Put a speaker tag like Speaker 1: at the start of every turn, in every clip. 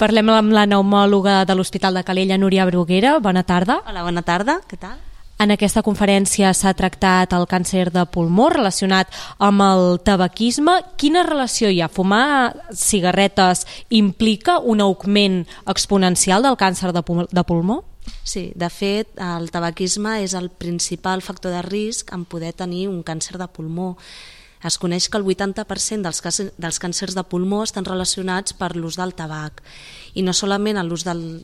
Speaker 1: Parlem amb la pneumòloga de l'Hospital de Calella, Núria Bruguera. Bona tarda.
Speaker 2: Hola, bona tarda. Què tal?
Speaker 1: En aquesta conferència s'ha tractat el càncer de pulmó relacionat amb el tabaquisme. Quina relació hi ha? Fumar cigarretes implica un augment exponencial del càncer de pulmó?
Speaker 2: Sí, de fet, el tabaquisme és el principal factor de risc en poder tenir un càncer de pulmó. Es coneix que el 80% dels càncers de pulmó estan relacionats per l'ús del tabac. I no solament l'ús del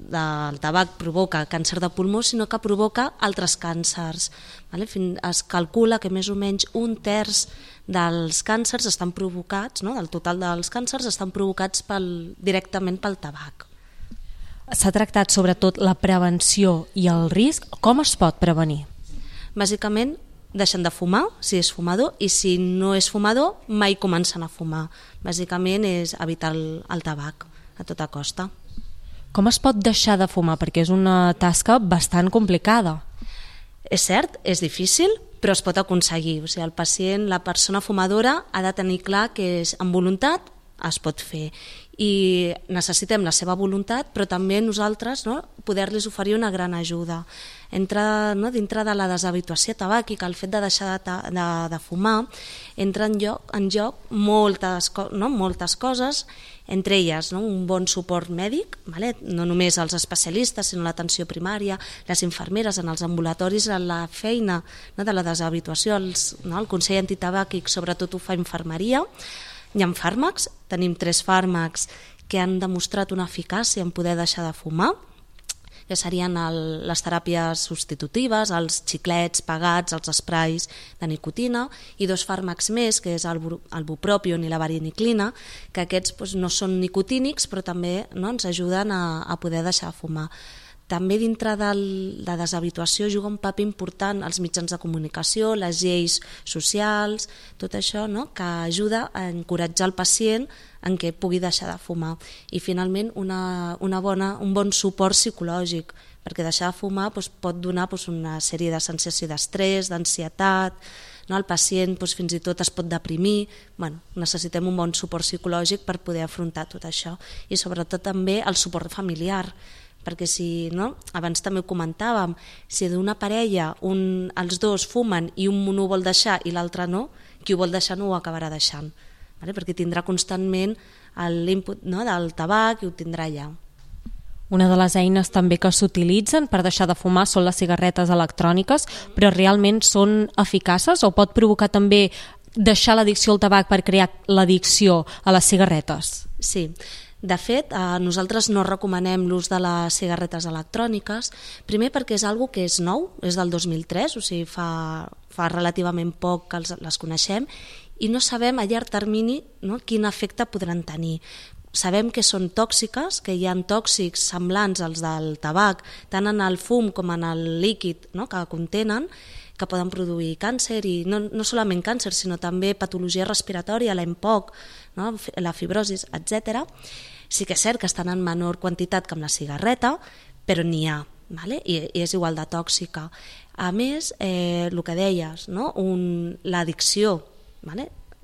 Speaker 2: tabac provoca càncer de pulmó, sinó que provoca altres càncers. Es calcula que més o menys un terç dels càncers estan provocats, del total dels càncers estan provocats directament pel tabac.
Speaker 1: S'ha tractat sobretot la prevenció i el risc. Com es pot prevenir?
Speaker 2: Bàsicament, deixen de fumar, si és fumador, i si no és fumador, mai comencen a fumar. Bàsicament és evitar el tabac a tota costa.
Speaker 1: Com es pot deixar de fumar? Perquè és una tasca bastant complicada.
Speaker 2: És cert, és difícil, però es pot aconseguir. O sigui, el pacient, la persona fumadora, ha de tenir clar que amb voluntat es pot fer. I necessitem la seva voluntat, però també nosaltres poder-los oferir una gran ajuda. Dintre de la deshabituació tabàquica, el fet de deixar de fumar, entra en joc moltes coses, entre elles un bon suport mèdic, no només els especialistes, sinó l'atenció primària, les infermeres en els ambulatoris, la feina de la deshabituació, el Consell Antitabàquic sobretot ho fa infermeria. Hi ha fàrmacs, tenim 3 fàrmacs que han demostrat una eficàcia en poder deixar de fumar, que serien les teràpies substitutives, els xiclets pegats, els esprais de nicotina, i 2 fàrmacs més, que és el bupropion i la variniclina, que aquests no són nicotínics, però també ens ajuden a poder deixar de fumar. També dintre de la deshabituació juga un paper important els mitjans de comunicació, les lleis socials, tot això que ajuda a encoratjar el pacient en què pugui deixar de fumar. I finalment un bon suport psicològic, perquè deixar de fumar pot donar una sèrie de sensació d'estrès, d'ansietat, el pacient fins i tot es pot deprimir. Necessitem un bon suport psicològic per poder afrontar tot això, i sobretot també el suport familiar, perquè abans també ho comentàvem, si d'una parella els dos fumen i un ho vol deixar i l'altre no, qui ho vol deixar no ho acabarà deixant, perquè tindrà constantment l'input del tabac i ho tindrà allà.
Speaker 1: Una de les eines també que s'utilitzen per deixar de fumar són les cigarretes electròniques, però realment són eficaces o pot provocar també deixar l'addicció al tabac per crear l'addicció a les cigarretes?
Speaker 2: Sí. De fet, nosaltres no recomanem l'ús de les cigarretes electròniques, primer perquè és una cosa que és nou, és del 2003, o sigui, fa relativament poc que les coneixem, i no sabem a llarg termini quin efecte podran tenir. Sabem que són tòxiques, que hi ha tòxics semblants als del tabac, tant en el fum com en el líquid que contenen, que poden produir càncer, i no solament càncer, sinó també patologia respiratòria, l'EMPOC, la fibrosi, etc. Sí que és cert que estan en menor quantitat que amb la cigarreta, però n'hi ha, i és igual de tòxica. A més, el que deies, l'addicció,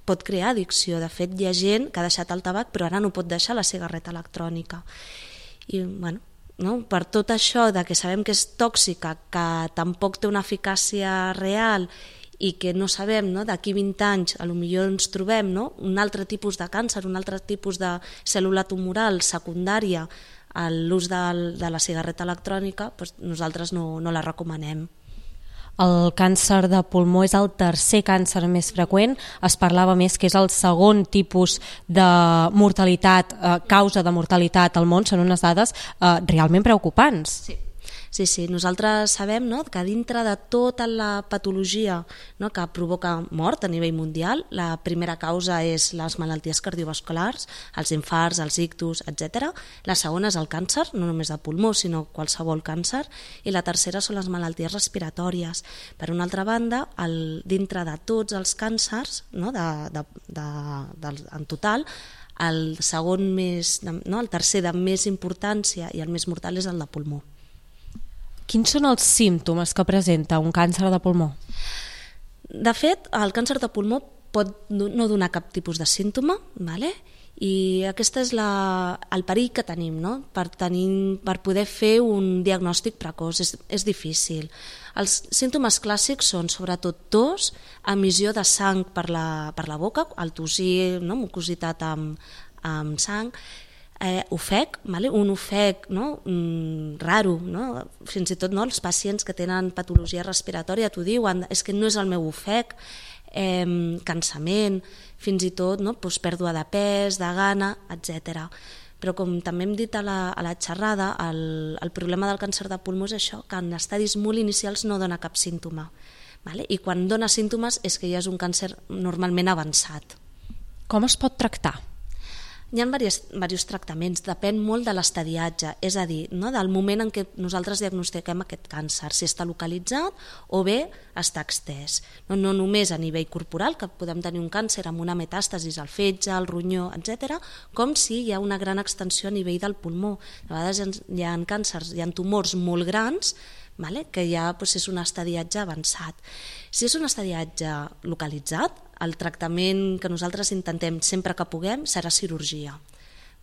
Speaker 2: pot crear addicció. De fet, hi ha gent que ha deixat el tabac però ara no pot deixar la cigarreta electrònica. I per tot això de que sabem que és tòxica, que tampoc té una eficàcia real i que no sabem, d'aquí 20 anys potser ens trobem un altre tipus de càncer, un altre tipus de cèl·lula tumoral secundària a l'ús de la cigarreta electrònica, nosaltres no la recomanem.
Speaker 1: El càncer de pulmó és el tercer càncer més freqüent. Es parlava més que és el segon tipus de mortalitat, causa de mortalitat al món. Són unes dades realment preocupants.
Speaker 2: Sí, nosaltres sabem que dintre de tota la patologia que provoca mort a nivell mundial, la primera causa és les malalties cardiovasculars, els infarts, els ictus, etc. La segona és el càncer, no només de pulmó, sinó qualsevol càncer, i la tercera són les malalties respiratòries. Per una altra banda, dintre de tots els càncers, en total, el tercer de més importància i el més mortal és el de pulmó.
Speaker 1: Quins són els símptomes que presenta un càncer de pulmó?
Speaker 2: De fet, el càncer de pulmó pot no donar cap tipus de símptoma, I aquest és el perill que tenim, no? Per poder fer un diagnòstic precoç. És difícil. Els símptomes clàssics són sobretot tos, emissió de sang per la boca, el tossir, no? Mucositat amb sang, ofec, un ofec, no? Raro, no? Fins i tot, no? Els pacients que tenen patologia respiratòria t'ho diuen, és que no és el meu ofec, cansament, fins i tot, no? Pèrdua de pes, de gana, etc. Però com també hem dit a la xerrada, el problema del càncer de pulmó és això, que en estadis molt inicials no dona cap símptoma. I quan dona símptomes és que ja és un càncer normalment avançat.
Speaker 1: Com es pot tractar?
Speaker 2: Hi ha diversos tractaments, depèn molt de l'estadiatge, és a dir, no, del moment en què nosaltres diagnostiquem aquest càncer, si està localitzat o bé està extès. No només a nivell corporal, que podem tenir un càncer amb una metàstasis al fetge, al ronyó, etc., com si hi ha una gran extensió a nivell del pulmó. A vegades hi ha càncers, hi ha tumors molt grans, que ja és un estadiatge avançat. Si és un estadiatge localitzat, el tractament que nosaltres intentem sempre que puguem serà cirurgia,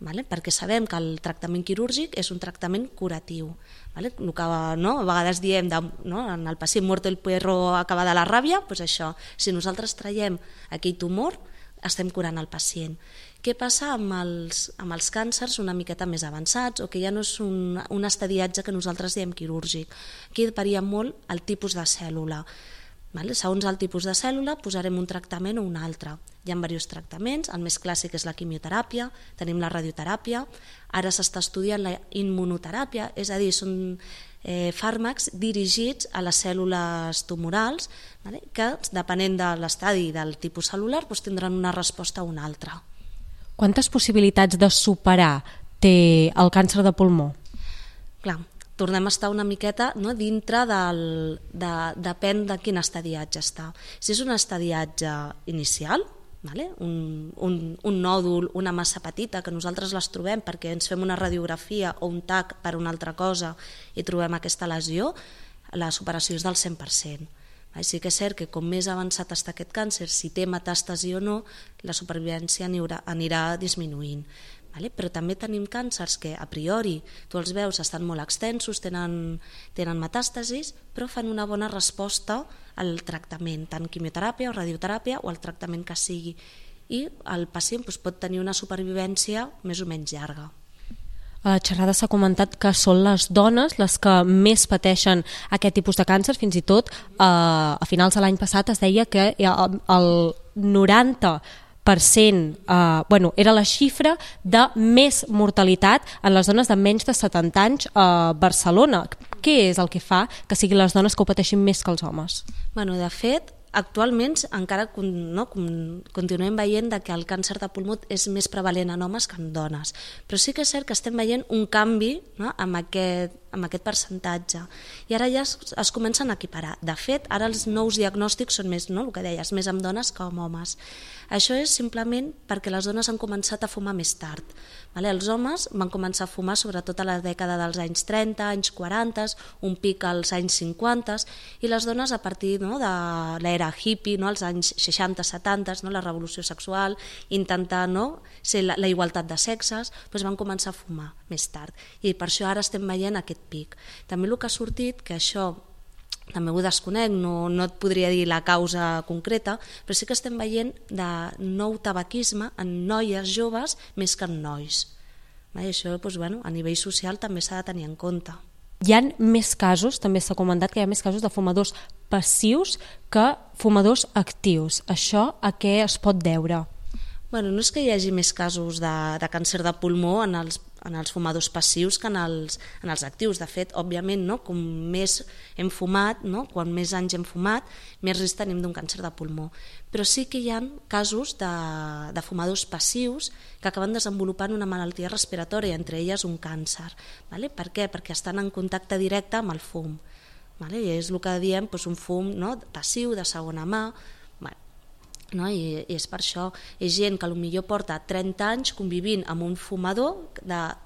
Speaker 2: perquè sabem que el tractament quirúrgic és un tractament curatiu. El que a vegades diem en el pacient muerto el perro acaba de la ràbia, doncs això, si nosaltres traiem aquell tumor estem curant el pacient. Què passa amb els càncers una miqueta més avançats o que ja no és un estadiatge que nosaltres diem quirúrgic? Aquí varia molt el tipus de cèl·lula. Segons el tipus de cèl·lula posarem un tractament o un altre. Hi ha diversos tractaments, el més clàssic és la quimioteràpia, tenim la radioteràpia, ara s'està estudiant la immunoteràpia, és a dir, són fàrmacs dirigits a les cèl·lules tumorals que, depenent de l'estadi i del tipus cel·lular, tindran una resposta o una altra.
Speaker 1: Quantes possibilitats de superar té el càncer de pulmó?
Speaker 2: Clar, tornem a estar una miqueta dintre depèn de quin estadiatge està. Si és un estadiatge inicial, un nòdul, una massa petita, que nosaltres les trobem perquè ens fem una radiografia o un TAC per una altra cosa i trobem aquesta lesió, la superació és del 100%. Sí que és cert que com més avançat està aquest càncer, si té metàstasi o no, la supervivència anirà disminuint. Però també tenim càncers que a priori tu els veus estan molt extensos, tenen metàstasis, però fan una bona resposta al tractament, tant quimioteràpia o radioteràpia o el tractament que sigui, i el pacient pot tenir una supervivència més o menys llarga.
Speaker 1: A la xerrada s'ha comentat que són les dones les que més pateixen aquest tipus de càncer, fins i tot a finals de l'any passat es deia que el 90% era la xifra de més mortalitat en les dones de menys de 70 anys a Barcelona. Què és el que fa que siguin les dones que ho pateixin més que els homes?
Speaker 2: De fet, actualment encara continuem veient que el càncer de pulmó és més prevalent en homes que en dones, però sí que és cert que estem veient un canvi amb aquest percentatge i ara ja es comencen a equiparar. De fet, ara els nous diagnòstics són més, el que deies, més amb dones que amb homes. Això és simplement perquè les dones han començat a fumar més tard. Els homes van començar a fumar sobretot a la dècada dels anys 30, anys 40, un pic als anys 50, i les dones a partir de l'era hippie, als anys 60-70, la revolució sexual, intentar ser la igualtat de sexes, van començar a fumar més tard. I per això ara estem veient aquest pic. També el que ha sortit, que això també ho desconec, no et podria dir la causa concreta, però sí que estem veient de nou tabaquisme en noies joves més que en nois. I això a nivell social també s'ha de tenir en compte.
Speaker 1: Hi ha més casos, també s'ha comentat que hi ha més casos de fumadors passius que fumadors actius. Això a què es pot deure?
Speaker 2: No és que hi hagi més casos de càncer de pulmó en els fumadors passius que en els actius. De fet, òbviament, com més hem fumat, quan més anys hem fumat, més risc tenim d'un càncer de pulmó. Però sí que hi ha casos de fumadors passius que acaben desenvolupant una malaltia respiratòria, entre elles un càncer. Per què? Perquè estan en contacte directe amb el fum. I és el que diem un fum passiu, de segona mà, i és per això. És gent que potser porta 30 anys convivint amb un fumador de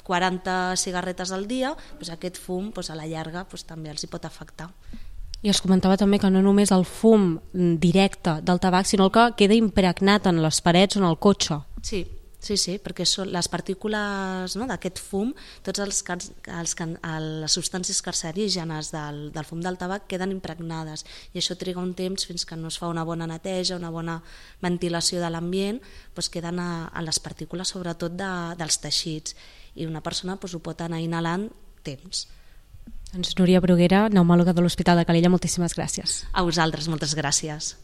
Speaker 2: 40 cigarretes al dia, aquest fum a la llarga també els hi pot afectar.
Speaker 1: I es comentava també que no només el fum directe del tabac, sinó el que queda impregnat en les parets o en el cotxe.
Speaker 2: Sí, Sí, perquè les partícules, no, d'aquest fum, tots les substàncies cancerígenes del fum del tabac queden impregnades i això triga un temps fins que no es fa una bona neteja, una bona ventilació de l'ambient, doncs queden a les partícules sobretot dels teixits i una persona ho pot anar inhalant temps.
Speaker 1: Doncs Núria Bruguera, pneumòloga de l'Hospital de Calella, moltíssimes gràcies.
Speaker 2: A vosaltres, moltes gràcies.